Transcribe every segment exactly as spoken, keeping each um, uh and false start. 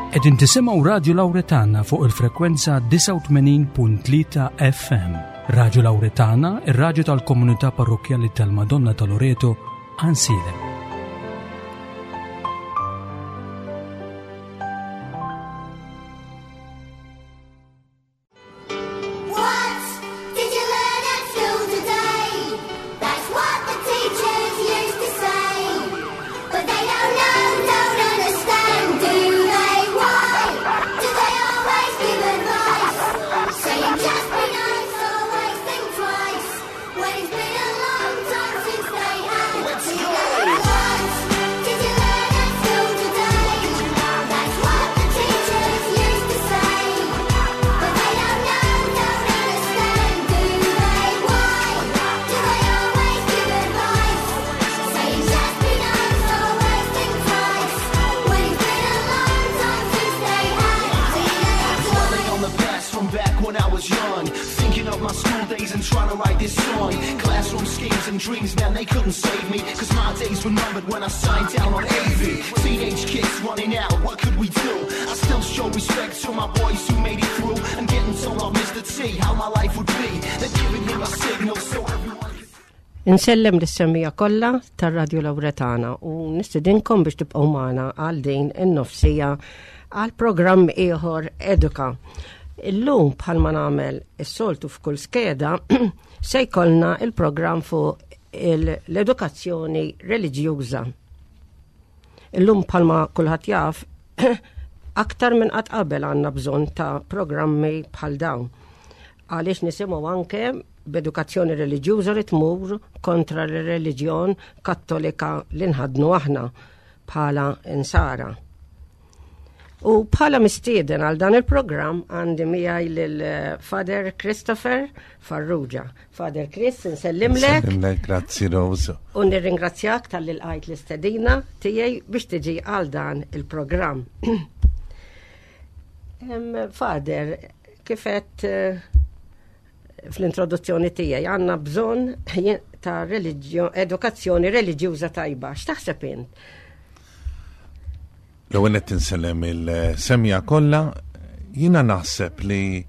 Qegħdin tisimgħu Radio Lauretana fuq il-frekwenza disgħa u tmenin punt tlieta F M. Radio Lauretana, ir-radju tal-Komunità Parrokkjali tal-Madonna ta' Loreto, Għajnsielem. What did you learn at school today? That's what the teachers used to say. But they don't know, don't understand, do they? Why do they always give advice? Saying just be nice, always think twice. When it's been a long time since they had Let's to go. What did you learn at school today? That's what the teachers used to say. But they don't know, don't understand, do they? Why do they always give advice? Saying just be nice, always think twice. When it's been a long time since they had teenage Dwelling on the past from back when I was young. Thinking of my school days and trying to write this song. Classroom schemes and dreams, man, they couldn't save me. 'Cause my days were numbered when I signed down on A V. Teenage kids running out, what could we do? I still show respect to my boys who made it through. And getting told off Mister T how my life would be. They're giving him a signal so everyone could Insellem lis-semmiegħa kollha tar-Radio Lauretana u nistedinkom biex tibqgħu magħna għal din in-nofs siegħa għal programm ieħor Eduka. Illum, bħalma nagħmel is-soltu f'kull skeda, se jkollna il-programm fuq l-edukazzjoni reliġjuża. Illum, bħalma kulħadd jaf, aktar minn qatt qabel għandna bżonn ta' programmi bħal dawn. Għaliex nisimgħu anke b'edukazzjoni reliġjuża li tmur kontra l-reliġjon Kattolika li nħadnu aħna bħala insara. U bħala mistieden għal dan il-programm għandi miegħi lil Father Christopher Farrugia. Father Chris, nsellimlek. Nsellimlek, grazzi, Rose. U nirringrazzjak talli lqajt l-istedina tiegħi biex tiġi għal dan il-programm. Em, Father, kif għedt eh, fl-introduzzjoni tiegħi, għandna bżonn ta' religio- edukazzjoni reliġjuża tajba. X'taħseb int? L-ewwel qed insellem il-semmiegħa kollha, jiena naħseb li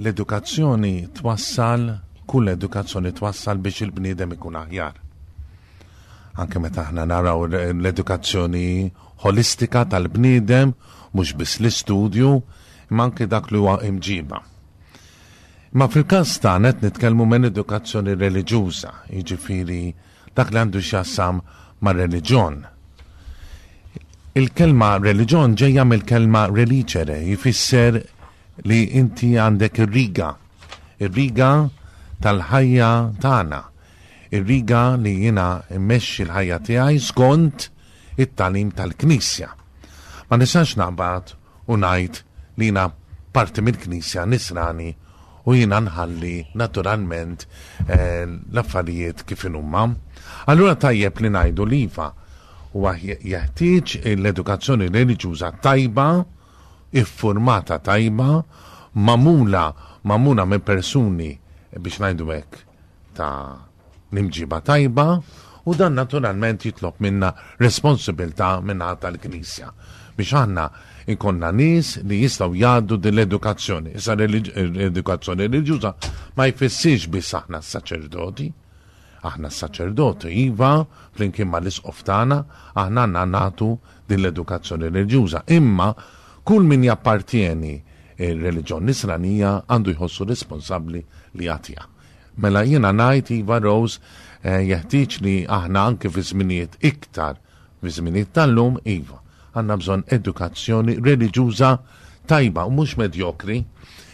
l-edukazzjoni twassal, kull edukazzjoni twassal biex il-bniedem ikun aħjar. Anke meta aħna naraw l-edukazzjoni holistika tal-bniedem, mhux biss l-istudju, imma anke dak li huwa imġiba. Ma fil-każ tagħna qed nitkellmu minn edukazzjoni reliġjuża, jiġifieri dak li għandu x'jaqsam ma' reliġjon. Il-kelma reliġjon ġejja mill-kelma religere, jfisser li inti għandek ir-riga, ir-riga tal-ħajja tagħna, ir-riga li jiena mmexxi l-ħajja tiegħi skont it-tagħlim tal-Knisja. Ma nistax naqbad u ngħid li jiena parti mill-Knisja, nisrani, u jiena nħalli naturalment eh, l-affarijiet kif inhuma. Allura tajjeb li ngħidu li iva, huwa jeħtieġ l-edukazzjoni reliġjuża tajba, iffurmata tajba, magħmula magħmula minn persuni, biex ngħidu hekk, ta' l-imġiba tajba, u dan naturalment jitlob minna responsabilità minna tal-Knisja biex aħna ikonna nies li jistgħu jgħaddu din l-edukazzjoni. Issa l-edukazzjoni reliġjuża ma jfissirx biss aħna s-saċerdoti. Aħna s-saċerdoti, iva, flimkien ma l-isqof tagħna, aħna għandna nagħtu din l-edukazzjoni reliġjuża. Imma kull min jappartieni il-reliġjon nisranija għandu jħossu responsabbli li jagħtiha. Mela jiena ngħid iva, Rose, eh, jeħtieġ li aħna anke fi żminijiet iktar fi żminijiet tal-lum, iva, għandna bżonn edukazzjoni reliġjuża tajba u mhux medjokri.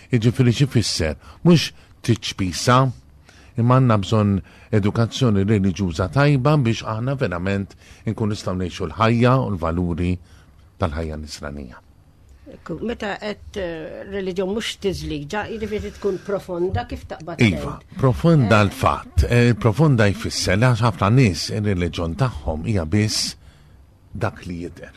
Jiġifieri xi fisser? Mhux tiċpisa, imma għandna bżonn edukazzjoni reliġjuża tajba biex aħna verament inkun nistgħu ngħixu l-ħajja u l-valuri tal-ħajja nisranija. Ekku, meta qed eh, reliġjon mhux tiżliġa, jiġifieri tkun profonda kif taqbad Iva, tgħid. Profonda l-fatt. Eh, profonda jfisser li għax ħafna nies ir-reliġjon tagħhom hija biss dak li jidher.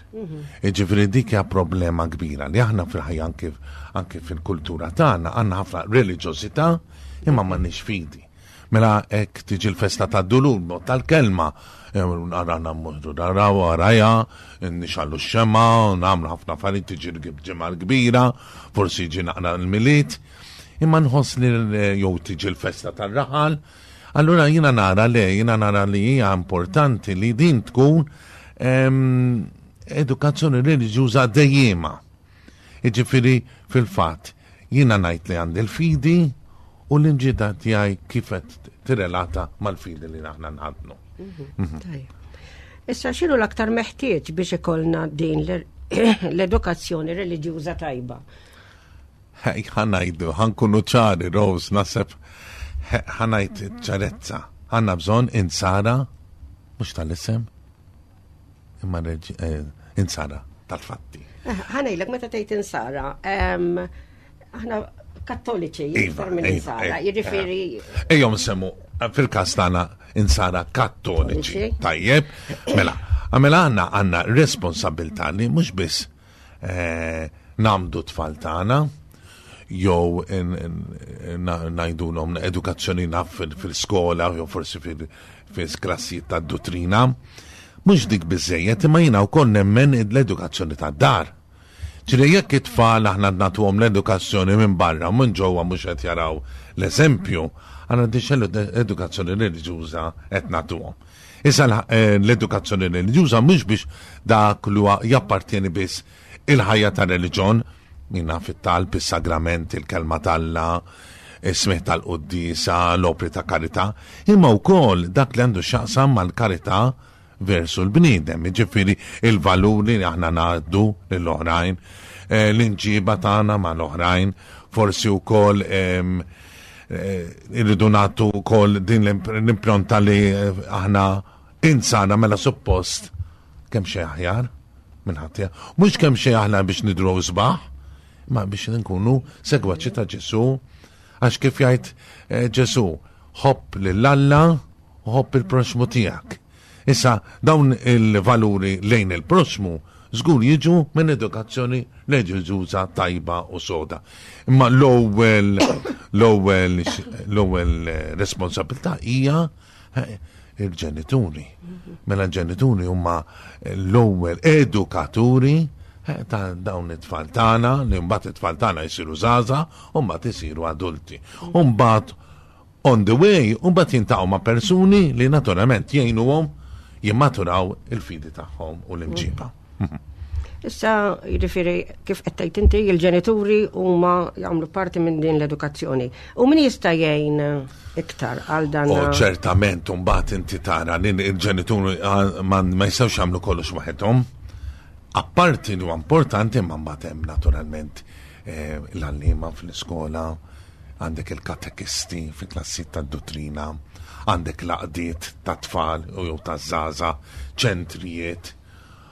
Jiġifieri dik hija problema kbira li aħna fil-ħajja, anke anke fil-kultura tagħna, għandna ħafna reliġjożità imma m'għandniex fidi. Mela hekk tiġi l-festa tad-dulur, mod tal-kelma, għarana mmorru naraw għaraja, nixgħelu x-xemgħa, nagħmlu ħafna affarijiet, tiġi l-ġimgħa l-kbira, forsi jiġi naqra l-Milied, imma nħoss li jew tiġi l-festa tar-raħal. Allura jiena nara le, jiena nara li hija importanti li din tkun em, edukazzjoni reliġjuża dejjema. Jiġifieri fil-fatt jiena ngħid li għandi l-fidi u l-imġiba tiegħi kif qed tirrelata mal-fidi li aħna nħaddnu. Tajjeb. Issa, x'inhu l-aktar meħtieġ biex ikollna din l- l-edukazzjoni reliġjuża tajba? Hej, ħa ngħidu, ħa nkunu ċari, Rose, naħseb, ħa ngħid ċarezza. Għandna bżonn insara, mhux tal-isem, imma reġi- eh, insara tal-fatti. Eh, Ħa ngħidlek, meta tgħid insara, em, aħna kattoliċi Iva, iktar minn iva, insara, iva. jiġifieri Ejjom semmu, fil-kas tagħna insara kattoliċi. Kattoliċi. Tajjeb, mela, għamela għandna għandna responsabbiltà li mhux biss eh, ngħammdu tfal tagħna, jew in- in- na- ngħidulhom edukazzjoni naf fil- fil-skola, jew forsi fil-klassijiet tad-dottrina. Mhux dik biżejjed, imma jiena wkoll nemmen l-edukazzjoni tad-dar. Ġifieri jekk it-tfal aħna nagħtuhom l-edukazzjoni minn barra, minn ġewwa mhux qed jaraw l-eżempju, għandna diċ l-edukazzjoni reliġjuża qed nagħtuhom. Issa l- eh, l-edukazzjoni reliġjuża mhux biex dak li huwa jappartieni biss il-ħajja ta' reliġjon, minna fit-talb, is-sagrament, il-kelma t'Alla, is-smigħ tal-quddiesa, l-opri ta' karità, imma wkoll dak li għandu x'jaqsam mal-karità versu l-bniedem, ġifieri il-valuri li aħna ngħaddu lill-oħrajn, eh, l-imġiba tagħna mal-oħrajn, forsi wkoll em, eh, irridu nagħtu wkoll din l-imp- l-impronta li eh, aħna insana, mela suppost kemm xejn aħjar minn ħadd. Mhux kemm xejn aħna biex nidhru sbaħ, ma biex nkunu segwaċi ta' Ġesu, għax kif jgħid eh, Ġesu, ħobb lil Alla u ħobb il-proxmu tiegħek. Issa dawn il-valuri lejn il-proxmu żgur jiġu minn edukazzjoni reliġjuża tajba u soda. Imma l-ewwel l-ewwel l-ewwel eh, responsabilità hija eh, il-ġenituri. Mela l-ġenituri huma l-ewwel edukaturi eh, ta' dawn it-tfal tagħna, li mbagħad it-tfal tagħna jsiru żgħażagħ u mbagħad isiru adulti. U mbagħad on the way, u mbagħad jiltaqgħu ma' persuni li naturalment jgħinuhom jimmaturaw il-fidi tagħhom u l-imġiba. Issa, jiġifieri, kif qed tgħid inti, il-ġenituri huma jagħmlu parti minn din l-edukazzjoni. U min jista' jgħin iktar għal dan? U ċertament mbagħad inti tara li il-ġenituri ah, ma ma jistgħux jagħmlu kollox waħedhom. Apparti li huwa importanti, ma mbagħad hemm naturalment eh, l-għalliema fl-iskola, għandek il-katekisti fi klassijiet tad-dottrina, għandek l-għaqdiet ta' tfal u jew ta' żgħażagħ, ċentrijiet.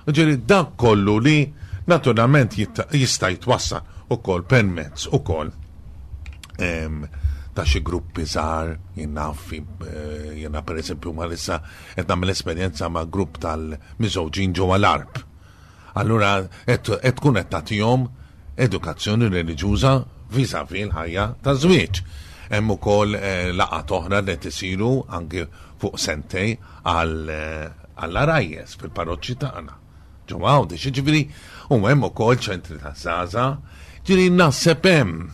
Ġifieri dak kollu li naturalment jitta- jista' jitwassal ukoll permezz ukoll em, ta' xi gruppi żgħar, jien naf, eh, jiena per eżempju ma issa qed nagħmel esperjenza ma' grupp tal-miżżewġin ġewwa l-Għarb. Allura qed qed tkun qed tagħtihom edukazzjoni reliġjuża vis-à-vis l-ħajja ta' żwieġ. Hemm ukoll eh, laqgħat oħra li qed isiru anke fuq sentej għal eh, għall-għarajjes fil-parroċċi tagħna. Ġewwa Għawdex, ġifieri u hemm ukoll ċentri ta' żgħażagħ, ġifieri naħseb hemm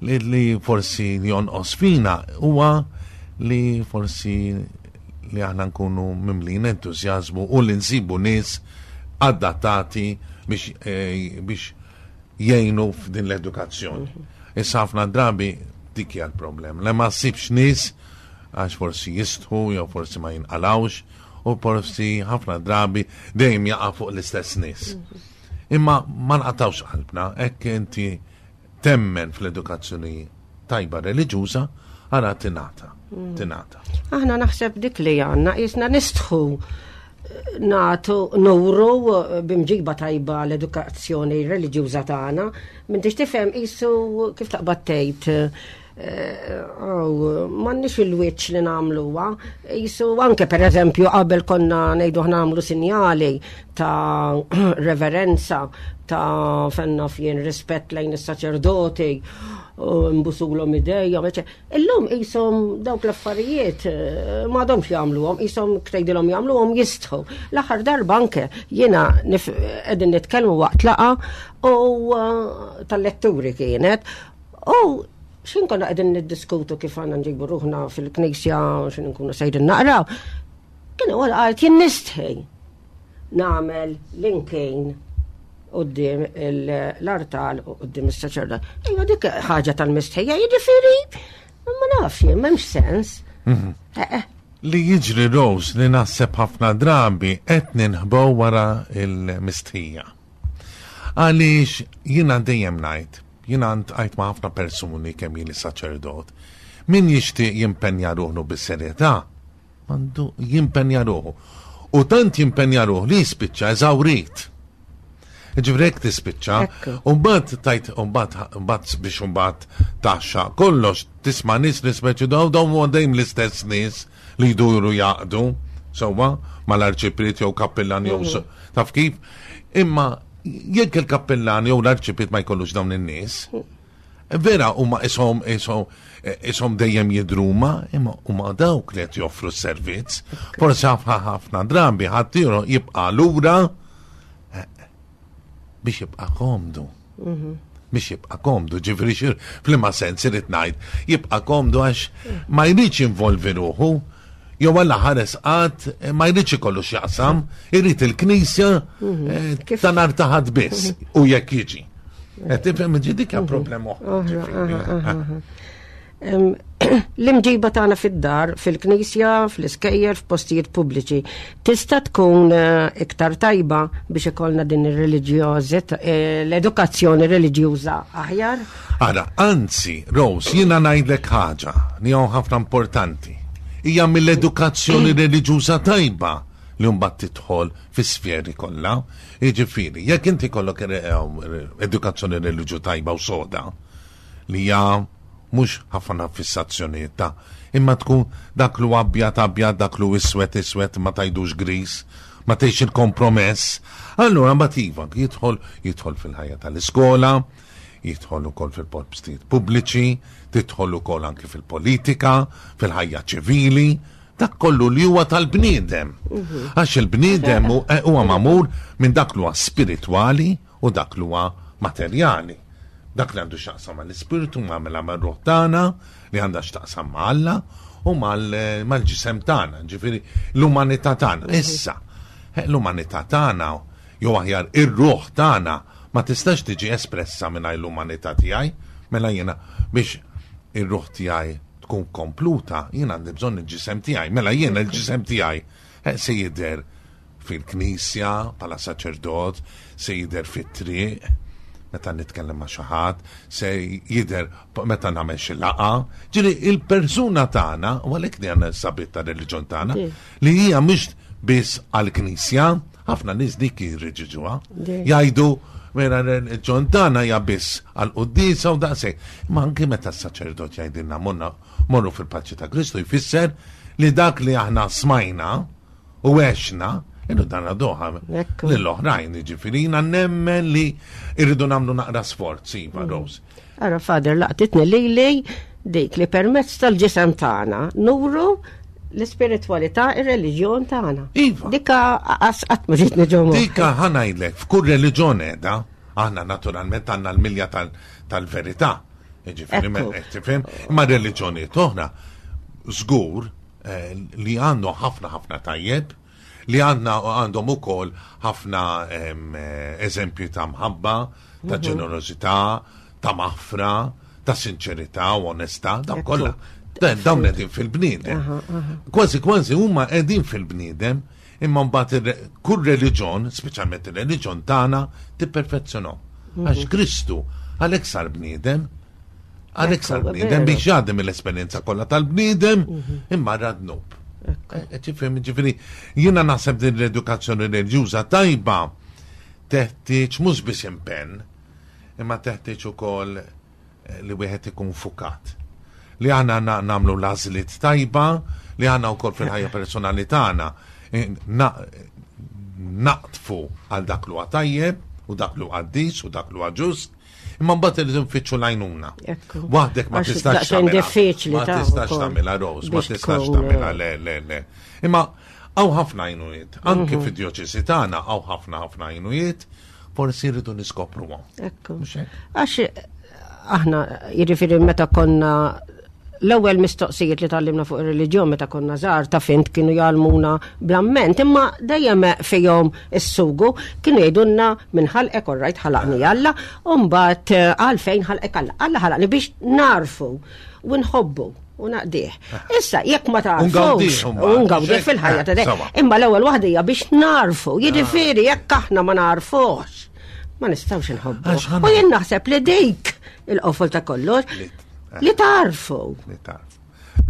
li, li forsi jonqos fina huwa li forsi li aħna nkunu mimlin entużjażmu u li nsibu nies adattati biex, eh, biex jgħinu f'din l-edukazzjoni. Issa ħafna drabi dik hija l-problem. Le ma ssibx nies għax forsi jistħu jew forsi ma jinqalawx u forsi ħafna drabi dejjem jaqa' fuq l-istess nies. Imma ma nqatawx qalbna, hekk inti temmen fl-edukazzjoni tajba reliġjuża, ara tingħata, tingħata. Aħna naħseb dik li għandna, jisna nistħu nagħtu nuru b'imġiba tajba l-edukazzjoni reliġjuża tagħna. M'intix tifhem qisu kif taqbad tgħid m'għandniex il-wiċċ li nagħmluha. Qisu anke per eżempju qabel konna ngħidu nagħmlu sinjali ta' reverenza, ta' fenna fjen rispett lejn is-saċerdoti. u nbusulhom idejhom, eċe. Illum qishom dawk l-affarijiet eh, m'għadhomx jagħmluhom, qishom tgħidilhom jagħmluhom jistħu. L-aħħar darba anke jiena nif- qegħdin nitkellmu waqt laqgħa u eh, tal-letturi kienet u xin konna qegħdin niddiskutu kif għandna nġibu ruħna fil-knisja, xin nkunu sejrin naqraw. Kien huwa qalt jien nistħi nagħmel l-inkin quddiem l-artal u quddiem is-saċerdot. Ejja dik ħaġa tal-mistħija, jiġifieri ma nafx jien, m'hemmx sens. Eh, eh. Li jiġri, Rose, li naħseb ħafna drabi qed ninħbow wara il-mistħija. Għaliex jiena dejjem ngħid, jiena għajt ma' ħafna persuni kemm jien saċerdot, min jixtieq jimpenja ruħu bis-serjetà, għandu jimpenja ruħu. U tant jimpenja ruħu li jispiċċa eżawrit. Ġifieri hekk tispiċċa, Ekku. u mbagħad tajt, u mbagħad mbagħad biex mbagħad taxxa kollox tisma' nies li speċi daw dawn huwa dejjem l-istess nies li jduru jaqdu, sewwa mal-arċipriet jew kappillan jew so- taf kif. Imma jekk il-kappillan jew l-arċipriet ma jkollux dawn in-nies, vera huma ishom ishom ishom dejjem jidruma, imma huma dawk li qed joffru s-servizz. Forsi ħafna ħafna drabi ħadd jibqa' lura eh, biex jibqa' komdu. Biex jibqa' komdu, ġifieri xir f'liema sens irid ngħid, jibqa' komdu għax ma jridx jinvolvi ruħu, jew Alla ħares qatt ma jridx ikollu x'jaqsam, irid il-knisja eh, Kif- ta' nhar ta' Ħadd biss u jekk jiġi. Qed tifhem ġi dik hija problema oħra. Oħra, ġifieri. aha, aha, aha. Em, L-imġiba tagħna fid-dar, fil-knisja, fl-iskejjel, f'postijiet pubbliċi, tista' tkun eh, iktar tajba biex ikollna din ir-reliġjożit, eh, l-edukazzjoni reliġjuża aħjar? Ara, anzi, Rose, jiena ngħidlek ħaġa li hawn ħafna importanti. Hija mill-edukazzjoni reliġjuża tajba li mbagħad tidħol fis-sferi kollha. Jiġifieri, jekk inti kollok eh, edukazzjoni reliġju tajba u soda, li hija mhux ħafna fissazzjonijiet ta' imma tkun dak lu abjad abjad, dak lu iswed iswed, ma tgħidux gris, ma tgħix il-kompromess. Allura mbagħad iva jidħol jidħol fil-ħajja tal-iskola, jidħol ukoll fil-postijiet pubbliċi, tidħol ukoll anki fil-politika, fil-ħajja ċivili, dak kollu li huwa tal-bniedem. Għax il-bniedem hu- eh, huwa magħmul minn dak li huwa spiritwali u dak li huwa materjali. Dak li għandu x'jaqsam mal-ispiritu, ma' mela mar-ruħ tagħna, li għandha x'taqsam ma' Alla u mal- mal-ġisem tagħna, ġifieri l-umanità tagħna. Issa, eh, l-umanità tagħna jew aħjar ir-ruħ tagħna ma tistax tiġi espressa mingħajr l-umanità tiegħi, mela jiena biex ir-ruħ tiegħi tkun kompluta, jiena għandi bżonn il-ġisem tiegħi, mela jiena il-ġisem tiegħi eh, se jidher fil-knisja bħala saċerdot, se jidher fit-triq, meta nitkellem ma' xi ħadd, se jidher p- meta nagħmel xi laqgħa. Ġifieri il-persuna tagħna, u għalhekk li għandna s-sabiħ ta' reliġjon tagħna, Sì. li hija mhux biss għall-knisja, ħafna nies dik jirriġiġuha. Sì. Jgħidu mela reliġjon tagħna hija biss għall-quddiesa u daqshekk. Ma anke meta s-saċerdot jgħidilna morna morru fil-paċi ta' Kristu jfisser li dak li aħna smajna u għexna, irridu dan doħa Ekku. lill-oħrajn, ġifieri jiena nemmen li irridu nagħmlu naqra sforz, iva, Rose. Ara, Father, laqtitni li li dik li permezz tal-ġisem tagħna nuru l-ispiritualità, ir-reliġjon tagħna. Iva. Dika qas qatt ma ġietni ġo moħħi. Dika ħa ngħidlek, f'kull reliġjon edha, aħna naturalment għandna l-milja tal- tal-verità. Ġifieri, Ekku. me- tifhem, imma reliġjonijiet oħra, żgur eh, li għandhom ħafna ħafna tajjeb, li għandna għandhom ukoll ħafna em, eh, eżempji ta' mħabba, ta' ġenerożità, ta' maħfra, ta' sinċerità u onestà, dawn Ekku. kollha. Dan- Dawn qegħdin fil-bniedem. Kważi kważi huma qegħdin fil-bniedem, imma mbagħad ir- kull reliġjon, speċjalment ir-reliġjon tagħna, tipperfezzjonhom. Għax Kristu għalhekk sar bniedem, għalhekk sar Ekku, bniedem veru. biex jgħaddi mill-esperjenza kollha tal-bniedem, imma ra dnub. Eh, Tifhem, ġifieri, jiena naħseb din l-edukazzjoni reliġjuża tajba teħtieġ mhux biss impenn, imma teħtieġ ukoll eh, li wieħed ikun fukat. Li aħna na- nagħmlu l-għażliet tajba, li aħna wkoll fil-ħajja personali tagħna eh, na- naqtfu għal dak li huwa tajjeb u dak li huwa qaddis u dak li huwa ġust, Imma mbagħad irridu nfittxu l-għajnuna. Ekku. Waħdek ma Għax tistax daqsxejn tagħmilha. diffiċli Ma ta' tistax ukoll tagħmilha Rose, ma biex tistax tkun, tagħmilha eh, le le le. Imma hawn ħafna għajnuniet, anke Mhm. fid-djoċesi tagħna hawn ħafna ħafna għajnuniet, forsi rridu niskopruhom. Ekku. Mhux hekk? Għax aħna, jiġifieri meta konna l-ewwel mistoqsijiet li tgħallimna fuq ir-reliġjon meta konna żgħar ta' fint kienu jgħallmuna bl-amment, imma dejjem fihom is-sugu kienu jgħidulna minn ħalqek orrajt ħalaqni Alla, u mbagħad eh, għalfejn ħalqek Alla. Alla ħalaqni biex narfu u nħobbu u naqdih. Issa jekk ma tarfux, ngawdih mbagħad, u ngawdih mhux fil-ħajja ta' hekk? dejjem. Sawa. Imma l-ewwel waħda hija biex narfu, jiġifieri jekk aħna ma narfux, ma nistgħux inħobbu. Għax ħana- U jien naħseb li dik il-qofol ta' kollox Li- li tarfu. Li tarfu.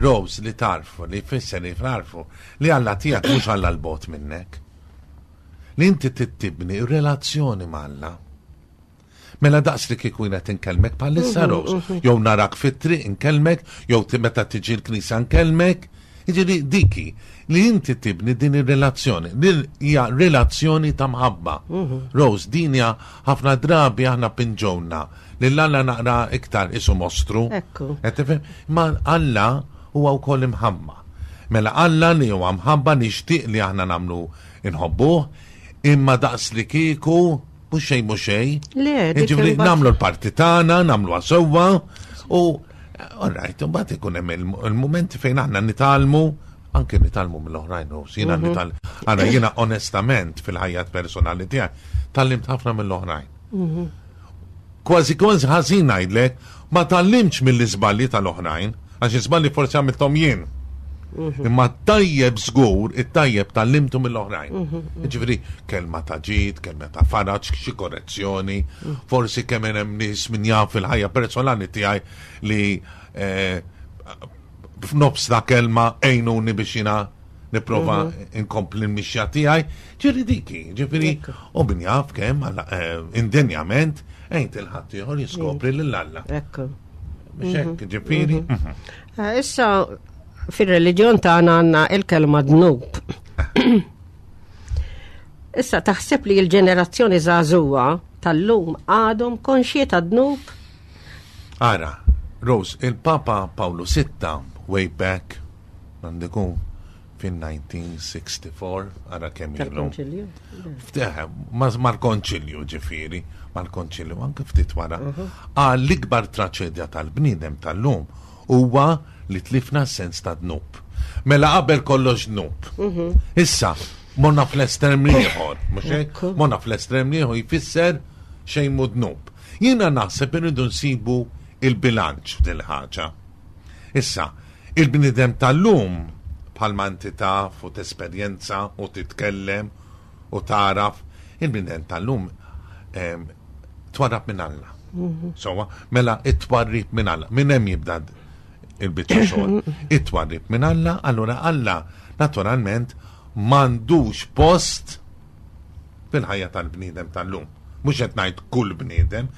Rose, li tarfu, li jfisser li tarfu, li Alla tiegħek mhux Alla l-bot minnek. Li inti tittibni relazzjoni ma' Alla. Mela daqs li kieku jiena tinkellmek bħalissa Rose, jew narak fit-triq inkellmek, jew ti- meta tiġi l-knisja nkellmek. Jiġifieri diki li inti tibni din ir-relazzjoni, din hija relazzjoni ta' mħabba. Rose, din hija ħafna drabi aħna pinġowna lil Alla naqra iktar isu mostru. Ekku. Qed tifhem? Ma Alla huwa wkoll imħabba. Mela Alla li huwa mħabba nixtieq li aħna nagħmlu inħobbuh, imma daqs li kieku mhux xejn mhux xejn. Le, dik Jiġifieri imbagħad- nagħmlu l-parti tagħna, nagħmluha sewwa u all right, imbagħad ikun hemm il- il-mumenti fejn aħna nitgħallmu anke nitgħallmu mill-oħrajn, u jiena nital Ara jiena onestament fil-ħajja personali tiegħi tgħallimt ħafna mill-oħrajn. Kważi kważi ħażin ngħidlek, ma tgħallimtx mill-iżbalji tal-oħrajn, għax iżbalji forsi għamilthom jien. Imma tajjeb żgur, it-tajjeb tgħallimtu mill-oħrajn. Jiġifieri kelma ta' ġid, kelma ta' faraġ, xi korrezzjoni, forsi kemm hemm nies min jaf fil-ħajja personali tiegħi li eh, f'nofs ta' kelma għejnuni biex jiena nipprova inkompli l-mixja tiegħi, ġifieri diki, ġifieri u min jaf kemm alla, eh, indenjament għejnt il-ħadd ieħor jiskopri lil Alla. Ekku. Mhux hekk, ġifieri. mhm. Eh, Issa fir-reliġjon tagħna għandna il-kelma dnub. Issa taħseb li l-ġenerazzjoni żagħżugħa tal-lum għadhom konxji ta' dnub? Ara, Rose, il-Papa Paolo Sitta, way back, għandiku fin-elf disa' mija u sitta u sittin, ara kemm ilu. Tal-konċilju? Fteħ, ma- mal-konċilju ġifieri, mal-konċilju, anke ftit wara. Għal l-ikbar traċedja tal-bniedem tal-lum huwa li tlifna s-sens ta' dnub. Mela qabel kollox dnub. Issa, morna fl-estrem ieħor, mhux hekk? Ekku. Morna fl-estrem ieħor jfisser xejn mhu dnub. Jiena naħseb irridu nsibu il-bilanċ f'dil ħaġa. Issa, il-bniedem tal-lum bħalma inti taf u tesperjenza u titkellem u taraf, il-bniedem tal-lum em, twarrab minn Alla. Sowa, mela it-twarrib minn Alla. Minn hemm jibda il-biċċa xogħol. It-twarrib minn Alla, allura Alla naturalment m'għandux post fil-ħajja tal-bniedem tal-lum. Mhux qed ngħid kull bniedem,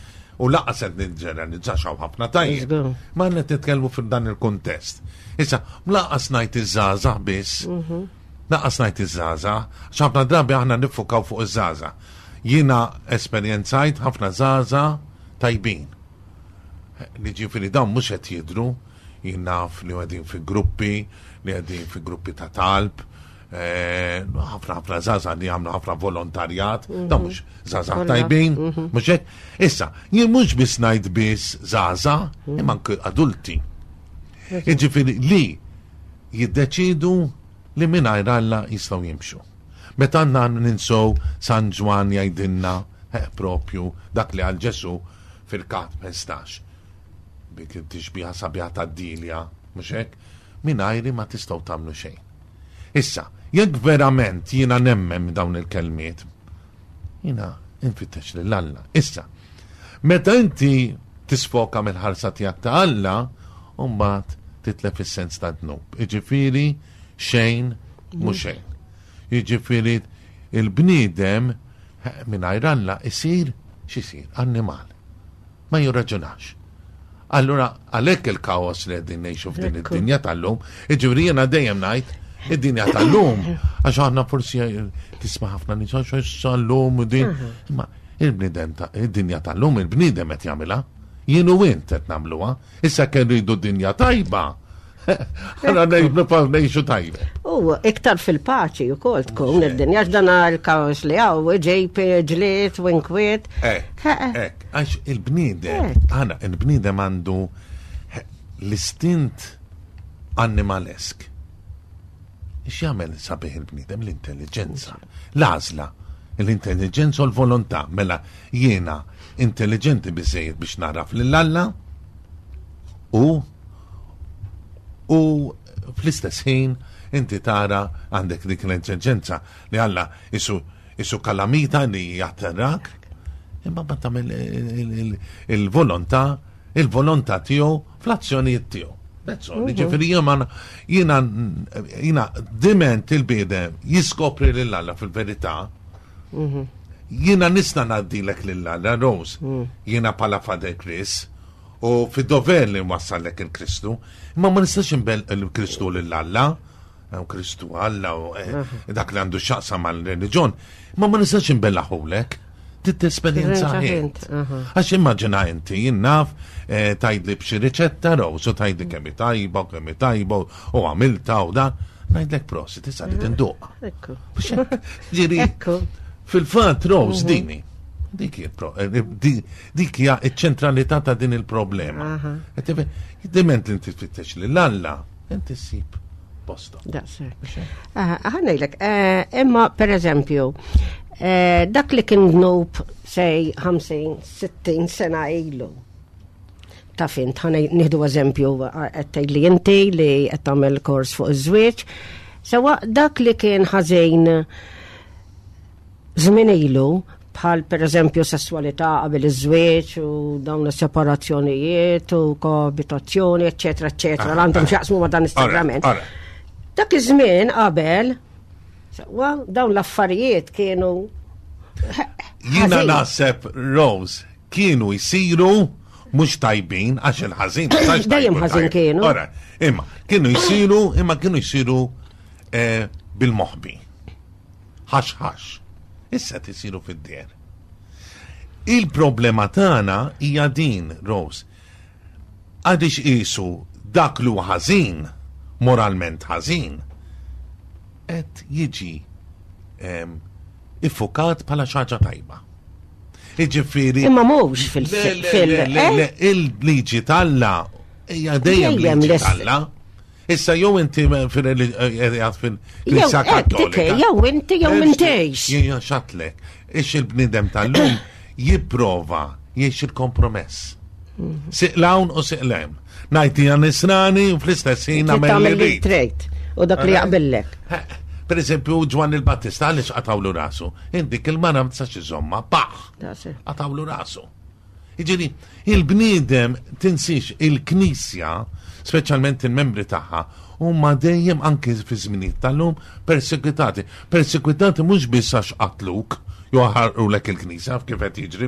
u lanqas qed niġġeneralizza hawn ħafna tajjeb. Żgur. Ma qed nitkellmu f'dan il-kuntest. Issa, lanqas ngħid iż-żgħażagħ biss, lanqas ngħid iż-żgħażagħ, għax ħafna drabi aħna niffukaw fuq iż-żgħażagħ. Jiena esperjenzajt ħafna żgħażagħ tajbin. Li ġifieri dawn mhux qed jidhru, jien naf li qegħdin fi gruppi, li qegħdin fi gruppi ta' talb, eh, ħafna ħafna żgħażagħ li jagħmlu ħafna volontarjat, dawn mhux żgħażagħ Kollha. tajbin, mhux hekk. Issa, jien mhux biss ngħid biss żgħażagħ, imma anke adulti. Jiġifieri li jiddeċidu li mingħajr Alla jistgħu jimxu. Meta għandna ninsow San Ġwan jgħidilna eh, propju dak li qal Ġesù fil-kat ħmistax. Bik tixbiha sabiħa ta' dilja, mhux hekk? Mingħajri ma tistgħu tagħmlu xejn. Issa, jekk verament jiena nemmen dawn il-kelmiet, jiena infittex lil Alla. Issa, meta inti tisfoka mill-ħarsa tiegħek ta' Alla, mbagħad titlef is-sens ta' dnub. Jiġifieri xejn mhu xejn. Jiġifieri il-bniedem eh, mingħajr Alla isir x'isir annimal. Ma jirraġunax. Allura għalhekk il-kaos li qegħdin ngħixu f'din Ekku. id-dinja tal-lum, jiġifieri jiena dejjem ngħid id-dinja tal-lum, għax aħna forsi tisma' ħafna nies għax issa llum u din. Imma Il-bniedem ta' id-dinja tal-lum il-bniedem qed jagħmilha. Jien u int qed nagħmluha. Issa kien rridu dinja tajba. Għana ngħixu tajba. U iktar fil-paċi u kol tkun id-dinja, għax dan il-kaos li hawn, ġejp, ġlied, u inkwiet. Ek, ek, għax il-bniedem, għana, il-bniedem għandu l-istint animalesk. X'jagħmel sabiħ il-bniedem? L-intelligenza. L-għażla, l-intelligenza u l-volontà. Mela jiena intelligenti biżejjed biex naraf lil Alla u u fl-istess ħin inti tara għandek dik l-intelligenza li Alla isu isu kalamita li jatterrak, imma ma tagħmel il-volontà il-volontà tiegħu fl-azzjonijiet tiegħu. That's all. Ġifieri jiena jiena jiena diment il-bniedem jiskopri lil Alla fil-verità. Jiena nista' ngħaddilek lil Alla, Rose. Jiena bħala Father Chris u fid-dover li nwassallek il-Kristu, imma ma nistax inbella' il-Kristu lil Alla, u Kristu Alla u eh, dak li għandu x'jaqsam mal-reliġjon, imma ma nistax inbellagħhulek. Tit-esperjenza int. Għax immaġina inti, jien naf, eh, tgħidli b'xi riċetta, Rose, u tgħidli kemm tajba, u kemm tajba, u għamilta u da, ngħidlek prosit, issa li tinduq. Ekku. Ġiri, Ekku. fil-fatt, Rose, dini. Dik hija pro- eh, di- dik hija ċ-ċentralità ta' din il-problema. Qed tifhem, diment li inti tfittex lil Alla, inti ssib posto. Daqshekk. Ħa ngħidlek, imma per eżempju, eh, dak li kien dnub sej ħamsin, sittin sena ilu. Ta' fint, ħa nieħdu eżempju, qed li inti li qed tagħmel kors fuq iż-żwieġ. Sewa dak li kien ħażin żmien ilu, bħal per eżempju sessualità qabel iż-żwieġ u dawn is-separazzjonijiet u koabitazzjoni, eċċetera, eċċetera, Ah, għandhom ah. x'jaqsmu ma' dan is-sagrament. Ora, Dak iż-żmien qabel, sewa dawn l-affarijiet kienu Jiena ħażin. naħseb, Rose, kienu jsiru mhux tajbin, għax il-ħażin. ma tistax Dejjem tajbu ħażin tajb. kienu. Ora, imma kienu jsiru, imma kienu jsiru eh, bil-moħbi. Ħax ħax. Issa tisiru fid-dehra. Il-problema tagħna hija din, Rose. Għadix qisu dak li huwa ħażin, moralment ħażin, qed jiġi em, iffukat bħala xi ħaġa tajba. Iġifieri. Imma mhux fil- Le, le, fil- le, le, eh? le, il-liġi t'Alla hija dejjem Dejjem liġi l-ist- t'Alla. Issa jew inti fil-knisja Jew hekk, Kattolika. dik, jew inti jew m'intix. Jien xatlek, ix il-bniedem tal-lum jipprova jgħix il-kompromess. Sieq 'l hawn u sieq 'l hemm. Ngħid jiena nisrani u fl-istess ħin nagħmel Tagħmel li li rrid. trid u dak li jaqbillek. Per eżempju, Ġwanni l-Battista għaliex qatawlu rasu? Indik il-mara ma tistax iżomma, paħ! Daqshekk. Qatawlu rasu. Iġifieri, il-bniedem tinsix il-Knisja, speċjalment il-membri tagħha, huma dejjem anke fi żminijiet tal-lum persekwitati. Persekwitati mhux biss għax qatluk, jew ħarqulek il-Knisja kif qed jiġri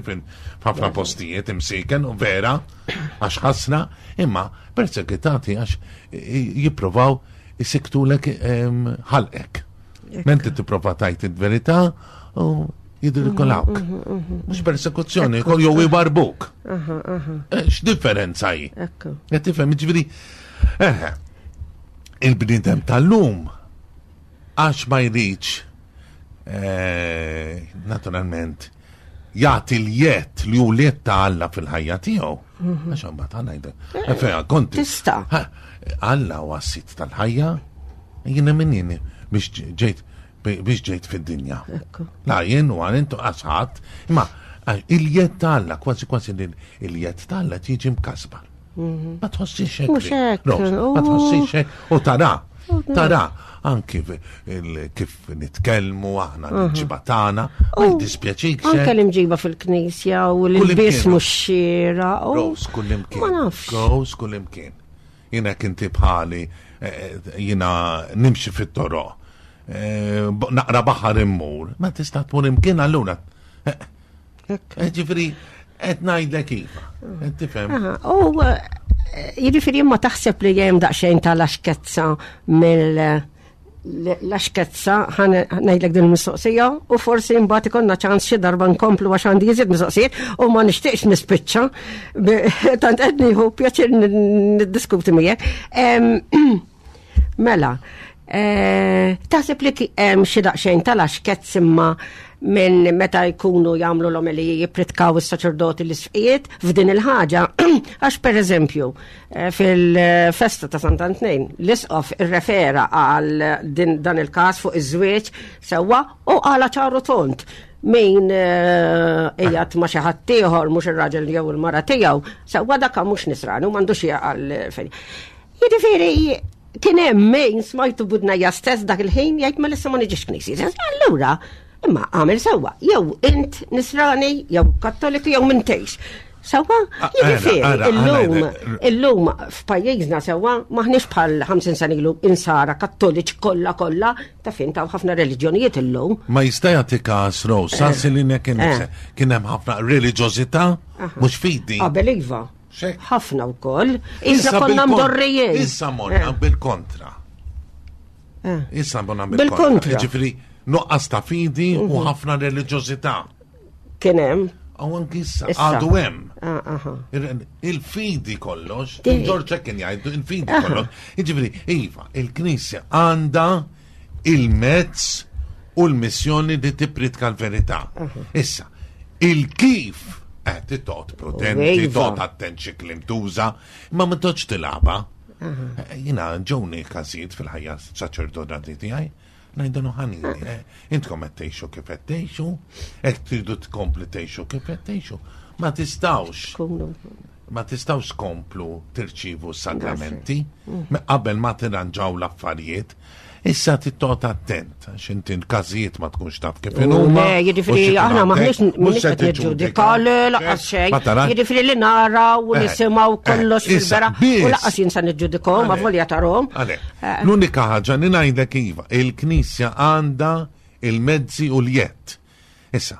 f'ħafna postijiet imsiken u vera għax ħasra, imma persekwitati għax jipprovaw isiktulek em, ħalqek. Mentri tipprova tgħid il-verità u jidrikolawk. Mhux persekuzzjoni, kol jew ibarbuk. Eh, X'differenza hi? Ekku. Qed tifhem, ġifieri, eh, il-bniedem tal-lum għax ma jridx eh, naturalment jagħti l-jedd li hu l-jedd ta' Alla fil-ħajja tiegħu. Għax imbagħad għandna jgħid. Eh, fejn konti. Tista'. Ha, Alla huwa s-sid tal-ħajja, jiena min jien biex ġejt biex ġejt fid-dinja. Ekku. La jien u għal intu għasħat, imma il-jedd ta' Alla, kważi kważi il-jedd ta' Alla tiġi mkasbar. Ma tħossix hekk. Mhux hekk, Rose, Ma u- tħossix hekk. U tara, tara, anki il- kif nitkellmu aħna l-ġiba tagħna, ma U jiddispjaċik Anke xejn. l-imġiba fil-knisja u l-ilbies Kullimkien. mhux xieraq. u- Rose, kullimkien. Ma nafx. Rose, kullimkien. Jiena kinti bħali, eh, jiena nimxi fit-toroq. Eh, b- Naqra baħar immur. Ma tista' tmur imkien allura. Eh, Ekku. eh, Ġifieri, qed ngħidlek iva. Qed tifhem? Aha, U eh, jiġifieri imma taħseb li hemm daqsxejn tal-axkezza mill L-axkezza ħa ngħidlek din il-mistoqsija u forsi mbagħad ikollna ċans xi darba nkomplu għax għandi iżjed mistoqsijiet u ma nixtieqx nispiċċa bi- tant qed nieħu pjaċir niddiskuti miegħek. Em, Mela, eh, taħseb li ki- hemm xi daqsxejn tal-axkezz imma minn meta jkunu jagħmlu l-omeliji jippritkaw is-saċerdoti l-isqfijiet f'din il-ħaġa, għax per eżempju eh, fil-festa ta' Sant'Antnin l-isqof irrefera għal din dan il-każ fuq iż-żwieġ sewwa u qala ċar u tond min eh, qiegħed ma' xi ħadd ieħor mhux ir-raġel jew il-mara tiegħu sewwa dak mhux nisrani u m'għandux għal fejn. Jiġifieri kien hemm min smajtu b'widnejja stess dak il-ħin jgħid ma lissa ma niġix knisja. Allura, imma għamel sewwa, jew int nisrani, jew kattoliku, jew m'intix. Sewwa, Ah, jiġifieri, ara, ara, illum, ara, illum f'pajjiżna sewwa maħniex bħal ħamsin sena ilu insara kattoliċi kollha kollha, ta' fin taw ħafna reliġjonijiet illum. Ma jista' jagħti każ Rose, sansi li kien Eh. kien hemm ħafna reliġjożità mhux fidi. Qabel iva. Xek. Ħafna wkoll. Issa konna bil-kon- mdorrijin. Issa morna Eh. bil-kontra. Eh. Issa morna Bil-kontra. bil-kontra. Ġifieri nuqqas ta' fidi u ħafna reliġjożità. Kien hemm. U anki issa Issa. għadu hemm. Ah, aha. Il- Il-fidi kollox, Di- Ġorġ kien jgħidu, il-fidi Aha. kollox. Jiġifieri, iva, il-Knisja għandha il-mezz u l-missjoni li tippritka l-verità. Issa, il-kif qed toqgħod prudenti, Iva. toqgħod attent xi kliem tuża, imma ma toqgħodx tilgħabha. Eh, Jiena ġewni każijiet fil-ħajja saċerdotali tiegħi, ngħidulu ħanini, eh, intkom qed tgħixu kif qed tgħixu, qed tridu tkompli tgħixu kif qed tgħixu. Ma tistgħux Kunu. ma tistgħux tkomplu tirċivu sagramenti me- qabel ma tirranġaw l-affarijiet. Issa tittoqgħod attent, għax inti l-każijiet ma tkunx taf kif inhuma. Le, u jiġifieri x'ikun aħna għandek, maħniex mhux mhux se qed niġġudika le lanqas xejn. Ma tarax? Jiġifieri li naraw u Eh, nisimgħu eh, kollox issa, fil-bera u biss. lanqas jien sa niġġudikahom Għalek. avolja tarahom. Għalek, Eh. l-unika ħaġa li ngħidlek iva, il-Knisja għandha il-mezzi u l-jett. Issa,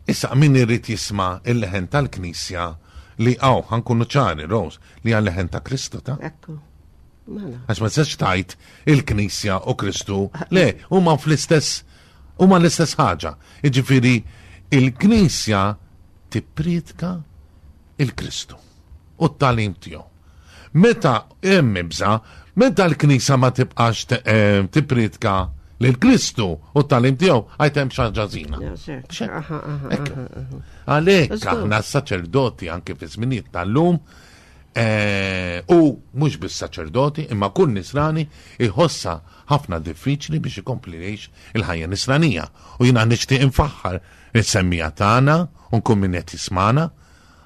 issa min irid jisma' il-leħen tal-Knisja li għaw, ħa nkunu ċari, Rose, li għal leħen ta' Kristu ta' Ekku. Mela. Għax ma tistax tgħid il-Knisja u Kristu, le, huma fl-istess huma l-istess ħaġa. Jiġifieri il-Knisja tippritka il-Kristu u t-tagħlim tiegħu. Meta hemm ibża, meta l-Knisja ma tibqax te- eh, tippritka lil Kristu u t-tagħlim tiegħu, għajt hemm xi ħaġa ħażina. Ja, sek. Xek. Aha, aha, Ekku. aha, aha. Għalhekk Żgur. aħna s-saċerdoti anke fi żminijiet tal-lum eh, u mhux bis-saċerdoti imma kull nisrani iħossa ħafna diffiċli biex ikompli jgħix il-ħajja nisranija. U jiena nixtieq infaħħar is-semmiegħa tagħna u nkun min qed jismana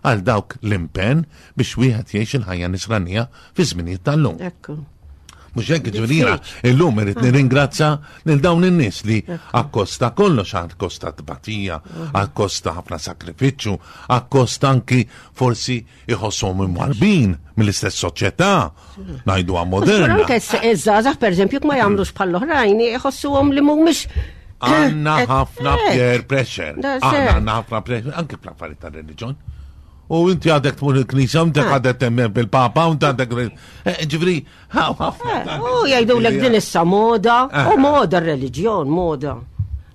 għal dawk l-impenn biex wieħed jgħix il-ħajja nisranija fi żminijiet tal-lum. Ekku. Mhux hekk ġifieri jiena illum irid nirringrazzja lil dawn in-nies li akkosta kollox, akkosta tbatija, akkosta ħafna sakrifiċċju, akkosta anki forsi iħossuhom imwarbin mill-istess soċjetà, ngħiduha moderna. Anke iż-żgħażagħ pereżempju jekk ma jagħmlux bħall-oħrajn iħossuhom li mhumiex Għanna Eh, ħafna eh, peer pressure. Da, Aħna ser. għanna ħafna pressure, anke fl-affarijiet tar-reliġjon. U inti għadek tmur il-knisja, u inti Ah. għadek temmen bil-papa, u inti għadek. Eh, Ġifieri, ħafna. Eh, U jgħidulek din issa moda, Eh. u moda r-reliġjon, moda.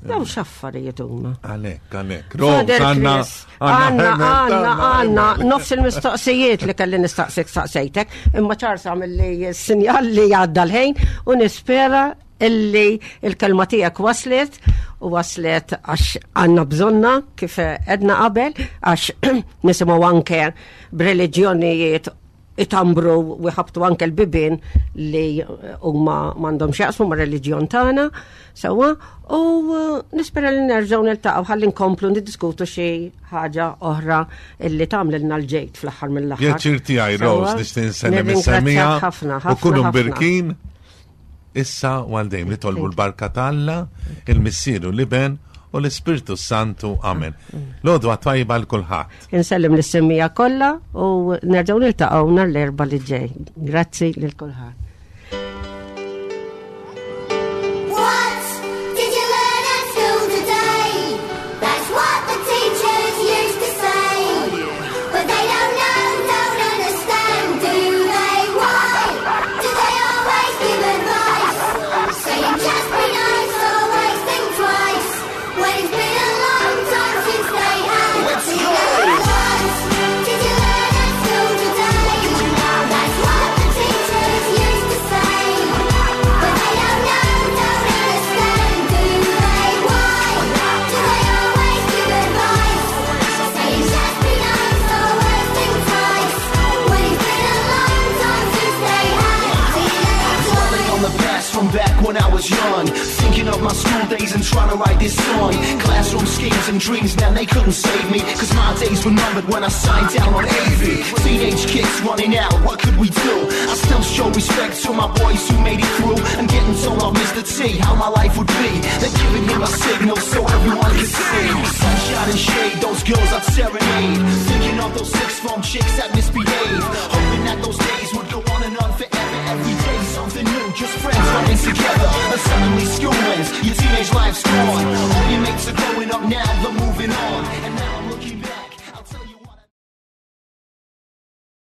Daw x'affarijiet huma. Għalek, għalek. Rose, Father għanna, Chris, għanna, għanna, għanna, nofs il-mistoqsijiet li kelli nistaqsik staqsejtek, imma ċarsa mill-li sinjal li għadda l-ħin u nispera illi il-kelma tiegħek waslet u waslet għax għanna bżonna kif edna qabel għax nisimgħu anke b'reliġjonijiet itambru u jħabtu anke l-bibin li huma m'għandhom x'jaqsmu ma' reliġjon tagħna sewwa u uh, nispera li nerġgħu niltaqgħu ħalli nkomplu niddiskutu xi ħaġa oħra illi tagħmlilna l-ġejt fl-aħħar mill-aħħar. Pjaċir tiegħi, Rose, Sewwa? nixtieq nsellem Nirringrazzjak is-semmiegħa ħafna, u ħafna, kunu ħafna. mbirkin. Issa u għal dejjem nitolbu l-barka t'Alla, il-Missier u l-Iben u l-Ispirtu Santu. Amen. L-għodwa tajba 'l kulħadd. Insellem lis-semmiegħa kollha u nerġgħu niltaqgħu nhar l-Erbgħa li ġej. Grazzi lil kulħadd. What did you learn at school today? That's what the teachers used to say. But they don't know, don't understand, do they? Why do they always give advice? Saying just Thinking of my school days and trying to write this song. Classroom schemes and dreams, man, they couldn't save me. Cause my days were numbered when I signed down on AV. Teenage kids running out, what could we do? I still show respect to my boys who made it through. And getting told off Mr. T how my life would be. They're giving him a signal so everyone could see. Sunshine and shade, those girls I'd serenade. Thinking of those six form chicks that misbehave. Hoping that those days would go on and on forever. Every day something new, just friends running together. And